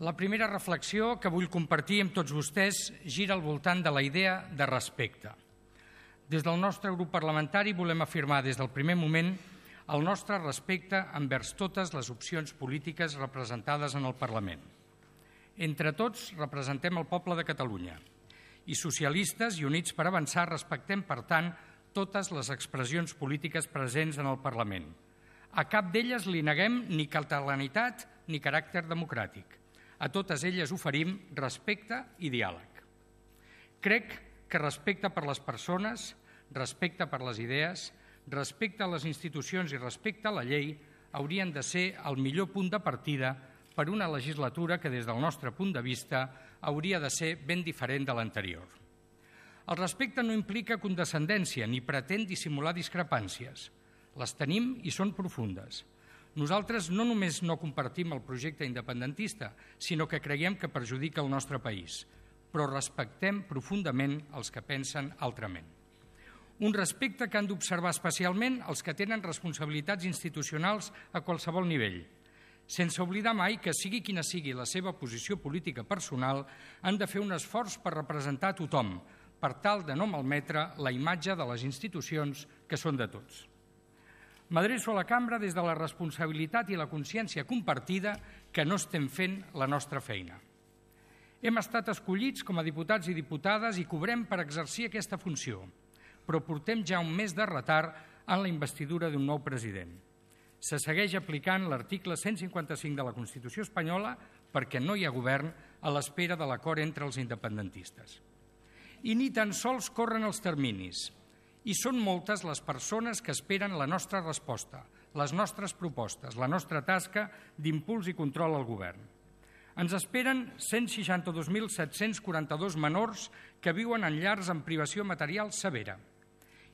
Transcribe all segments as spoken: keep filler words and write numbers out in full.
La primera reflexió que vull compartir amb tots vostès gira al voltant de la idea de respecte. Des del nostre grup parlamentari volem afirmar des del primer moment el nostre respecte envers totes les opcions polítiques representades en el Parlament. Entre tots representem el poble de Catalunya i socialistes i Units per Avançar respectem, per tant, totes les expressions polítiques presents en el Parlament. A cap d'elles li neguem ni catalanitat ni caràcter democràtic. A totes elles oferim respecte i diàleg. Crec que respecte per les persones, respecte per les idees, respecte a les institucions i respecte a la llei haurien de ser el millor punt de partida per una legislatura que, des del nostre punt de vista, hauria de ser ben diferent de l'anterior. El respecte no implica condescendència ni pretén dissimular discrepàncies. Les tenim i són profundes. Nosaltres no només no compartim el projecte independentista, sinó que creiem que perjudica el nostre país, però respectem profundament els que pensen altrament. Un respecte que han d'observar especialment els que tenen responsabilitats institucionals a qualsevol nivell, sense oblidar mai que, sigui quina sigui la seva posició política personal, han de fer un esforç per representar a tothom, per tal de no malmetre la imatge de les institucions que són de tots. M'adreço a la cambra des de la responsabilitat i la consciència compartida que no estem fent la nostra feina. Hem estat escollits com a diputats i diputades i cobrem per exercir aquesta funció, però portem ja un mes de retard en la investidura d'un nou president. Se segueix aplicant l'article cent cinquanta-cinc de la Constitució espanyola perquè no hi ha govern a l'espera de l'acord entre els independentistes. I ni tan sols corren els terminis. I són moltes les persones que esperen la nostra resposta, les nostres propostes, la nostra tasca d'impuls i control al govern. Ens esperen cent seixanta-dos mil set-cents quaranta-dos menors que viuen en llars amb privació material severa,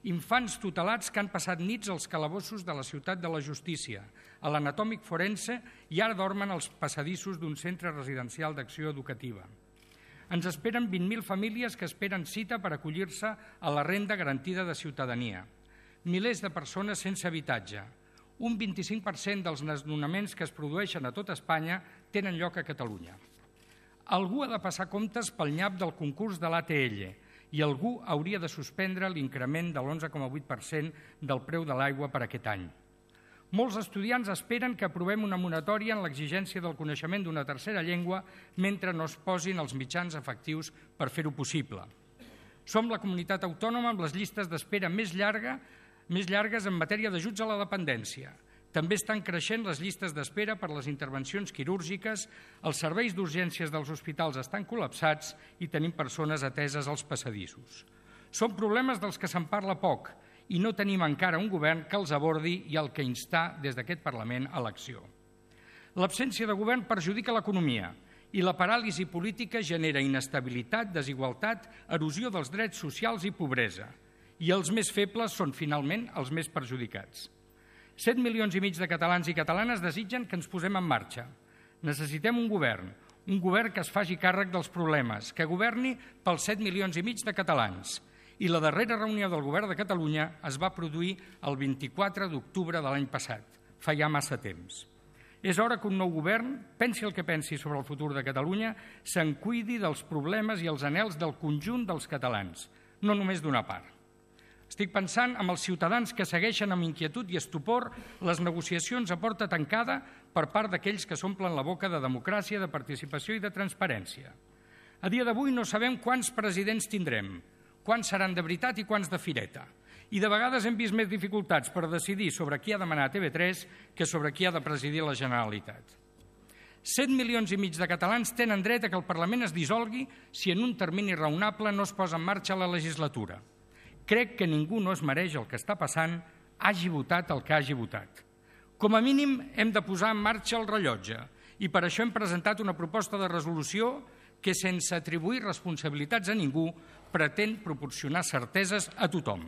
infants tutelats que han passat nits als calabossos de la ciutat de la justícia, a l'anatòmic forense i ara dormen als passadissos d'un centre residencial d'acció educativa. Ens esperen vint mil famílies que esperen cita per acollir-se a la renda garantida de ciutadania, milers de persones sense habitatge. Un vint-i-cinc per cent dels desnonaments que es produeixen a tot Espanya tenen lloc a Catalunya. Algú ha de passar comptes pel nyap del concurs de l'A T L i algú hauria de suspendre l'increment de l'onze coma vuit per cent del preu de l'aigua per aquest any. Molts estudiants esperen que aprovem una moratòria en l'exigència del coneixement d'una tercera llengua mentre no es posin els mitjans efectius per fer-ho possible. Som la comunitat autònoma amb les llistes d'espera més, llarga, més llargues en matèria d'ajuts a la dependència. També estan creixent les llistes d'espera per les intervencions quirúrgiques, els serveis d'urgències dels hospitals estan col·lapsats i tenim persones ateses als passadissos. Són problemes dels que se'n parla poc, i no tenim encara un govern que els abordi i al que instar des d'aquest Parlament a l'acció. L'absència de govern perjudica l'economia i la paràlisi política genera inestabilitat, desigualtat, erosió dels drets socials i pobresa. I els més febles són, finalment, els més perjudicats. Set milions i mig de catalans i catalanes desitgen que ens posem en marxa. Necessitem un govern, un govern que es faci càrrec dels problemes, que governi pels set milions i mig de catalans. I la darrera reunió del Govern de Catalunya es va produir el vint-i-quatre d'octubre de l'any passat, fa ja massa temps. És hora que un nou govern, pensi el que pensi sobre el futur de Catalunya, se'n cuidi dels problemes i els anhels del conjunt dels catalans, no només d'una part. Estic pensant en els ciutadans que segueixen amb inquietud i estupor les negociacions a porta tancada per part d'aquells que s'omplen la boca de democràcia, de participació i de transparència. A dia d'avui no sabem quants presidents tindrem, quants seran de veritat i quants de fireta. I de vegades hem vist més dificultats per decidir sobre qui ha de manar a T V tres que sobre qui ha de presidir la Generalitat. Set milions i mig de catalans tenen dret a que el Parlament es dissolgui si en un termini raonable no es posa en marxa la legislatura. Crec que ningú no es mereix el que està passant, hagi votat el que hagi votat. Com a mínim hem de posar en marxa el rellotge i per això hem presentat una proposta de resolució que, sense atribuir responsabilitats a ningú, pretén proporcionar certeses a tothom.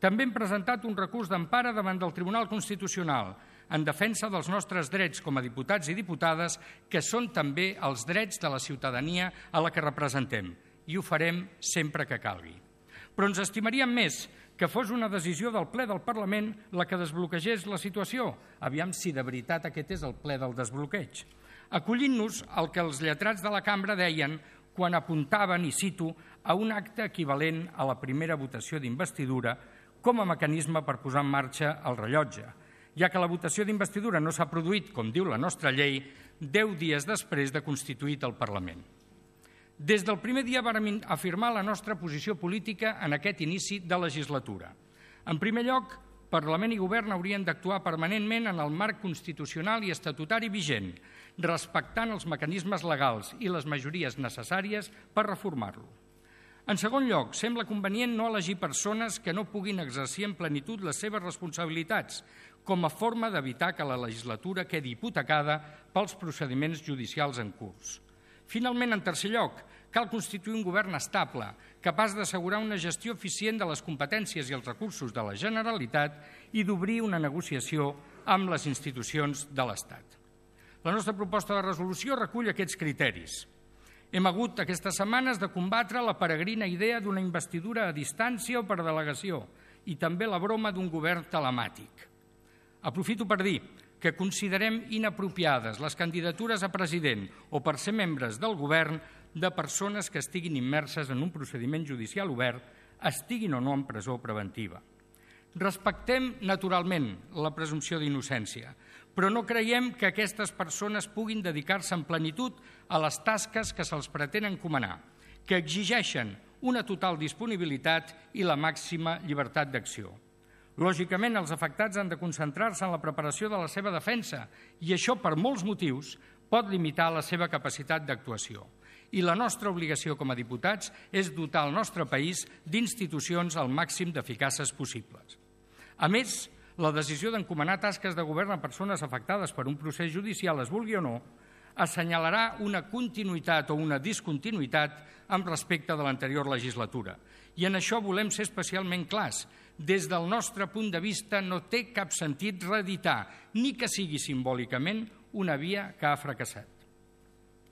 També hem presentat un recurs d'empara davant del Tribunal Constitucional en defensa dels nostres drets com a diputats i diputades, que són també els drets de la ciutadania a la que representem, i ho farem sempre que calgui. Però ens estimaríem més que fos una decisió del ple del Parlament la que desbloquegés la situació. Aviam si de veritat aquest és el ple del desbloqueig. acollint-nos al que els lletrats de la cambra deien quan apuntaven, i cito, a un acte equivalent a la primera votació d'investidura com a mecanisme per posar en marxa el rellotge, ja que la votació d'investidura no s'ha produït, com diu la nostra llei, deu dies després de constituït el Parlament. Des del primer dia vàrem afirmar la nostra posició política en aquest inici de legislatura. En primer lloc, Parlament i Govern haurien d'actuar permanentment en el marc constitucional i estatutari vigent, respectant els mecanismes legals i les majories necessàries per reformar-lo. En segon lloc, sembla convenient no elegir persones que no puguin exercir en plenitud les seves responsabilitats, com a forma d'evitar que la legislatura quedi hipotecada pels procediments judicials en curs. Finalment, en tercer lloc, cal constituir un govern estable, capaç d'assegurar una gestió eficient de les competències i els recursos de la Generalitat i d'obrir una negociació amb les institucions de l'Estat. La nostra proposta de resolució recull aquests criteris. Hem hagut aquestes setmanes de combatre la peregrina idea d'una investidura a distància o per delegació i també la broma d'un govern telemàtic. Aprofito per dir que considerem inapropiades les candidatures a president o per ser membres del govern de persones que estiguin immerses en un procediment judicial obert, estiguin o no en presó preventiva. Respectem, naturalment, la presumpció d'innocència, però no creiem que aquestes persones puguin dedicar-se en plenitud a les tasques que se'ls pretén encomanar, que exigeixen una total disponibilitat i la màxima llibertat d'acció. Lògicament, els afectats han de concentrar-se en la preparació de la seva defensa i això, per molts motius, pot limitar la seva capacitat d'actuació. I la nostra obligació com a diputats és dotar el nostre país d'institucions al màxim d'eficaces possibles. A més, la decisió d'encomanar tasques de govern a persones afectades per un procés judicial, es vulgui o no, assenyalarà una continuïtat o una discontinuïtat amb respecte de l'anterior legislatura. I en això volem ser especialment clars. Des del nostre punt de vista no té cap sentit reeditar, ni que sigui simbòlicament, una via que ha fracassat.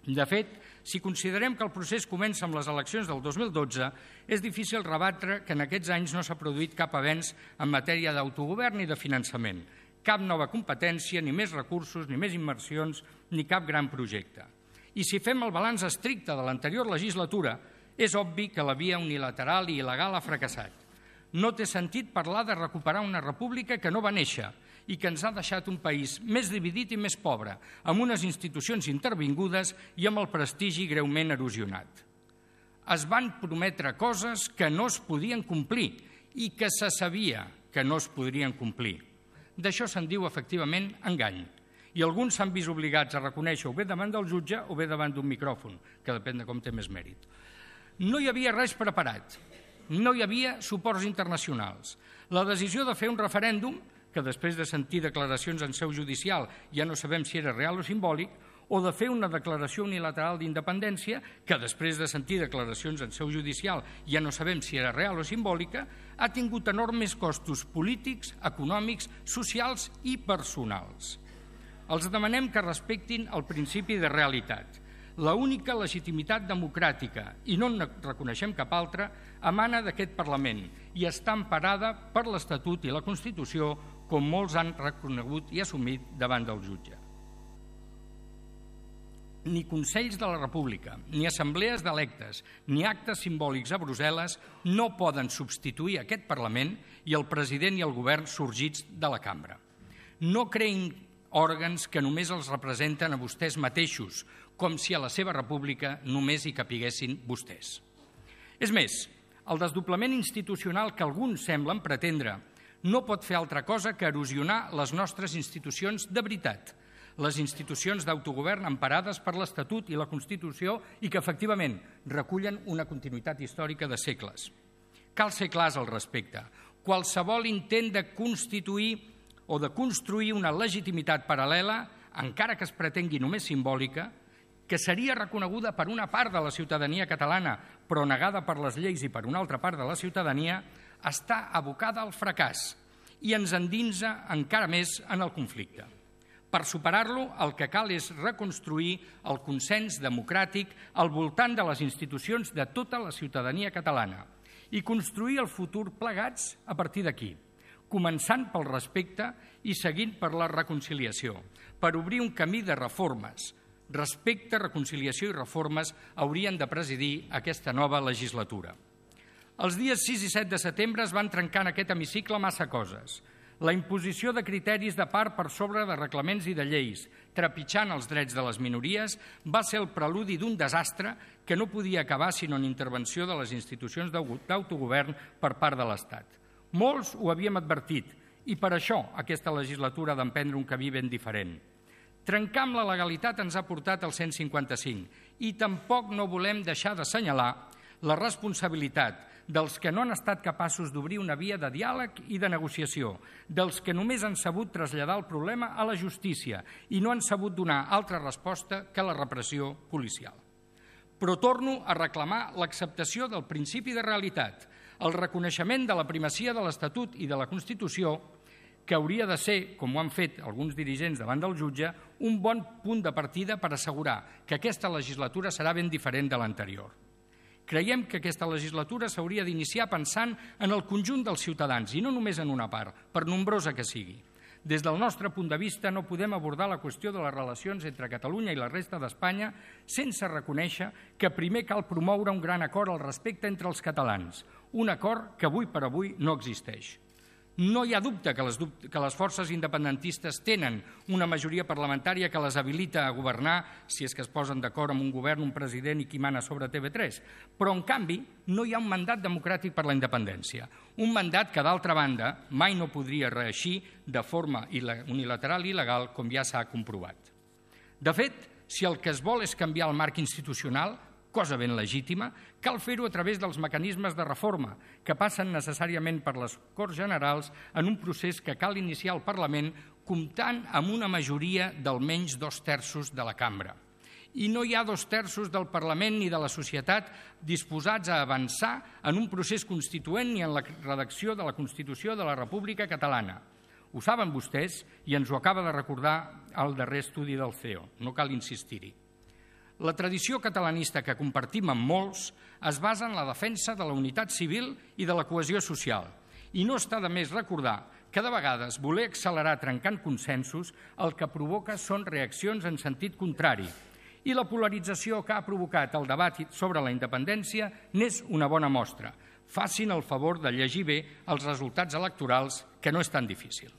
De fet, si considerem que el procés comença amb les eleccions del dos mil dotze, és difícil rebatre que en aquests anys no s'ha produït cap avenç en matèria d'autogovern ni de finançament, cap nova competència, ni més recursos, ni més inversions, ni cap gran projecte. I si fem el balanç estricte de l'anterior legislatura, és obvi que la via unilateral i il·legal ha fracassat. No té sentit parlar de recuperar una república que no va néixer i que ens ha deixat un país més dividit i més pobre, amb unes institucions intervingudes i amb el prestigi greument erosionat. Es van prometre coses que no es podien complir i que se sabia que no es podrien complir. D'això se'n diu, efectivament, engany. I alguns s'han vist obligats a reconèixer o bé davant del jutge o bé davant d'un micròfon, que depèn de com té més mèrit. No hi havia res preparat. No hi havia suports internacionals. La decisió de fer un referèndum, que després de sentir declaracions en seu judicial ja no sabem si era real o simbòlic, o de fer una declaració unilateral d'independència, que després de sentir declaracions en seu judicial ja no sabem si era real o simbòlica, ha tingut enormes costos polítics, econòmics, socials i personals. Els demanem que respectin el principi de realitat. La única legitimitat democràtica, i no en reconeixem cap altra, emana d'aquest Parlament i està emparada per l'Estatut i la Constitució, com molts han reconegut i assumit davant del jutge. Ni Consells de la República, ni assemblees d'electes, ni actes simbòlics a Brussel·les no poden substituir aquest Parlament i el president i el govern sorgits de la cambra. No creïn òrgans que només els representen a vostès mateixos, com si a la seva república només hi capiguessin vostès. És més, el desdoblament institucional que alguns semblen pretendre no pot fer altra cosa que erosionar les nostres institucions de veritat, les institucions d'autogovern emparades per l'Estatut i la Constitució i que, efectivament, recullen una continuïtat històrica de segles. Cal ser clars al respecte. Qualsevol intent de constituir o de construir una legitimitat paral·lela, encara que es pretengui només simbòlica, que seria reconeguda per una part de la ciutadania catalana, però negada per les lleis i per una altra part de la ciutadania, està abocada al fracàs i ens endinsa encara més en el conflicte. Per superar-lo, el que cal és reconstruir el consens democràtic al voltant de les institucions de tota la ciutadania catalana i construir el futur plegats a partir d'aquí, començant pel respecte i seguint per la reconciliació, per obrir un camí de reformes, Respecte, reconciliació i reformes haurien de presidir aquesta nova legislatura. Els dies sis i set de setembre es van trencar en aquest hemicicle massa coses. La imposició de criteris de part per sobre de reglaments i de lleis, trepitjant els drets de les minories, va ser el preludi d'un desastre que no podia acabar sinó en intervenció de les institucions d'autogovern per part de l'Estat. Molts ho havíem advertit i per això aquesta legislatura ha d'emprendre un camí ben diferent. Trencar amb la legalitat ens ha portat al cent cinquanta-cinc i tampoc no volem deixar d'assenyalar la responsabilitat dels que no han estat capaços d'obrir una via de diàleg i de negociació, dels que només han sabut traslladar el problema a la justícia i no han sabut donar altra resposta que la repressió policial. Però torno a reclamar l'acceptació del principi de realitat, el reconeixement de la primacia de l'Estatut i de la Constitució, que hauria de ser, com ho han fet alguns dirigents davant del jutge, un bon punt de partida per assegurar que aquesta legislatura serà ben diferent de l'anterior. Creiem que aquesta legislatura s'hauria d'iniciar pensant en el conjunt dels ciutadans i no només en una part, per nombrosa que sigui. Des del nostre punt de vista no podem abordar la qüestió de les relacions entre Catalunya i la resta d'Espanya sense reconèixer que primer cal promoure un gran acord al respecte entre els catalans, un acord que avui per avui no existeix. No hi ha dubte que les, que les forces independentistes tenen una majoria parlamentària que les habilita a governar si és que es posen d'acord amb un govern, un president i qui mana sobre T V tres. Però, en canvi, no hi ha un mandat democràtic per la independència. Un mandat que, d'altra banda, mai no podria reeixir de forma unilateral i il·legal, com ja s'ha comprovat. De fet, si el que es vol és canviar el marc institucional, cosa ben legítima, cal fer-ho a través dels mecanismes de reforma, que passen necessàriament per les Corts Generals en un procés que cal iniciar al Parlament comptant amb una majoria d'almenys dos terços de la cambra. I no hi ha dos terços del Parlament ni de la societat disposats a avançar en un procés constituent ni en la redacció de la Constitució de la República Catalana. Ho saben vostès i ens ho acaba de recordar el darrer estudi del C E O, no cal insistir-hi. La tradició catalanista que compartim amb molts es basa en la defensa de la unitat civil i de la cohesió social. I no està de més recordar que de vegades voler accelerar trencant consensos el que provoca són reaccions en sentit contrari. I la polarització que ha provocat el debat sobre la independència n'és una bona mostra. Facin el favor de llegir bé els resultats electorals, que no és tan difícil.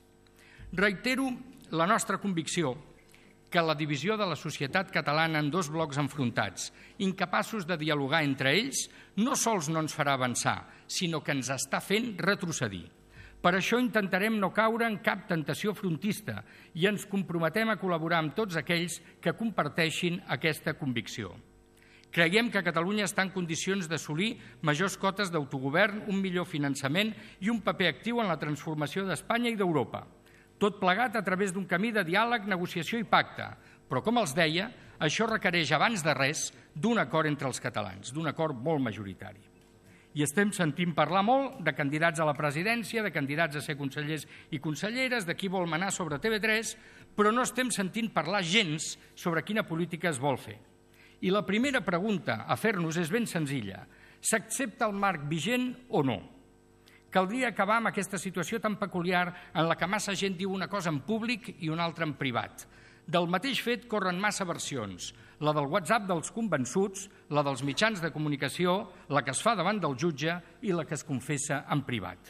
Reitero la nostra convicció que la divisió de la societat catalana en dos blocs enfrontats, incapaços de dialogar entre ells, no sols no ens farà avançar, sinó que ens està fent retrocedir. Per això intentarem no caure en cap tentació frontista i ens comprometem a col·laborar amb tots aquells que comparteixin aquesta convicció. Creiem que Catalunya està en condicions d'assolir majors cotes d'autogovern, un millor finançament i un paper actiu en la transformació d'Espanya i d'Europa. Tot plegat a través d'un camí de diàleg, negociació i pacte. Però, com els deia, això requereix, abans de res, d'un acord entre els catalans, d'un acord molt majoritari. I estem sentint parlar molt de candidats a la presidència, de candidats a ser consellers i conselleres, de qui vol manar sobre T V tres, però no estem sentint parlar gens sobre quina política es vol fer. I la primera pregunta a fer-nos és ben senzilla. S'accepta el marc vigent o no? Caldria acabar amb aquesta situació tan peculiar en la que massa gent diu una cosa en públic i una altra en privat. Del mateix fet corren massa versions, la del WhatsApp dels convençuts, la dels mitjans de comunicació, la que es fa davant del jutge i la que es confessa en privat.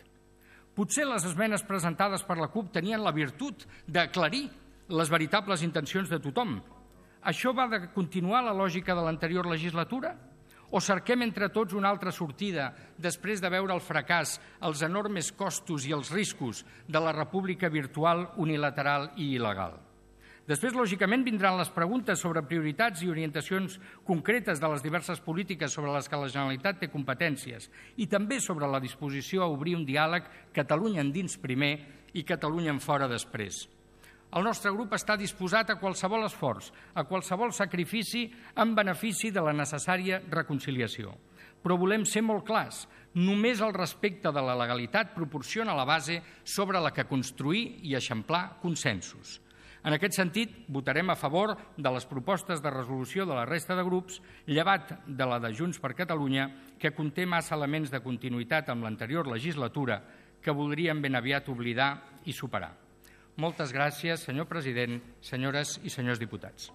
Potser les esmenes presentades per la CUP tenien la virtut d'aclarir les veritables intencions de tothom. Això va de continuar la lògica de l'anterior legislatura? O cerquem entre tots una altra sortida després de veure el fracàs, els enormes costos i els riscos de la república virtual, unilateral i il·legal? Després, lògicament, vindran les preguntes sobre prioritats i orientacions concretes de les diverses polítiques sobre les que la Generalitat té competències i també sobre la disposició a obrir un diàleg Catalunya endins primer i Catalunya en fora després. El nostre grup està disposat a qualsevol esforç, a qualsevol sacrifici en benefici de la necessària reconciliació. Però volem ser molt clars. Només el respecte de la legalitat proporciona la base sobre la que construir i eixamplar consensos. En aquest sentit, votarem a favor de les propostes de resolució de la resta de grups, llevat de la de Junts per Catalunya, que conté massa elements de continuïtat amb l'anterior legislatura que voldríem ben aviat oblidar i superar. Moltes gràcies, senyor president, senyores i senyors diputats.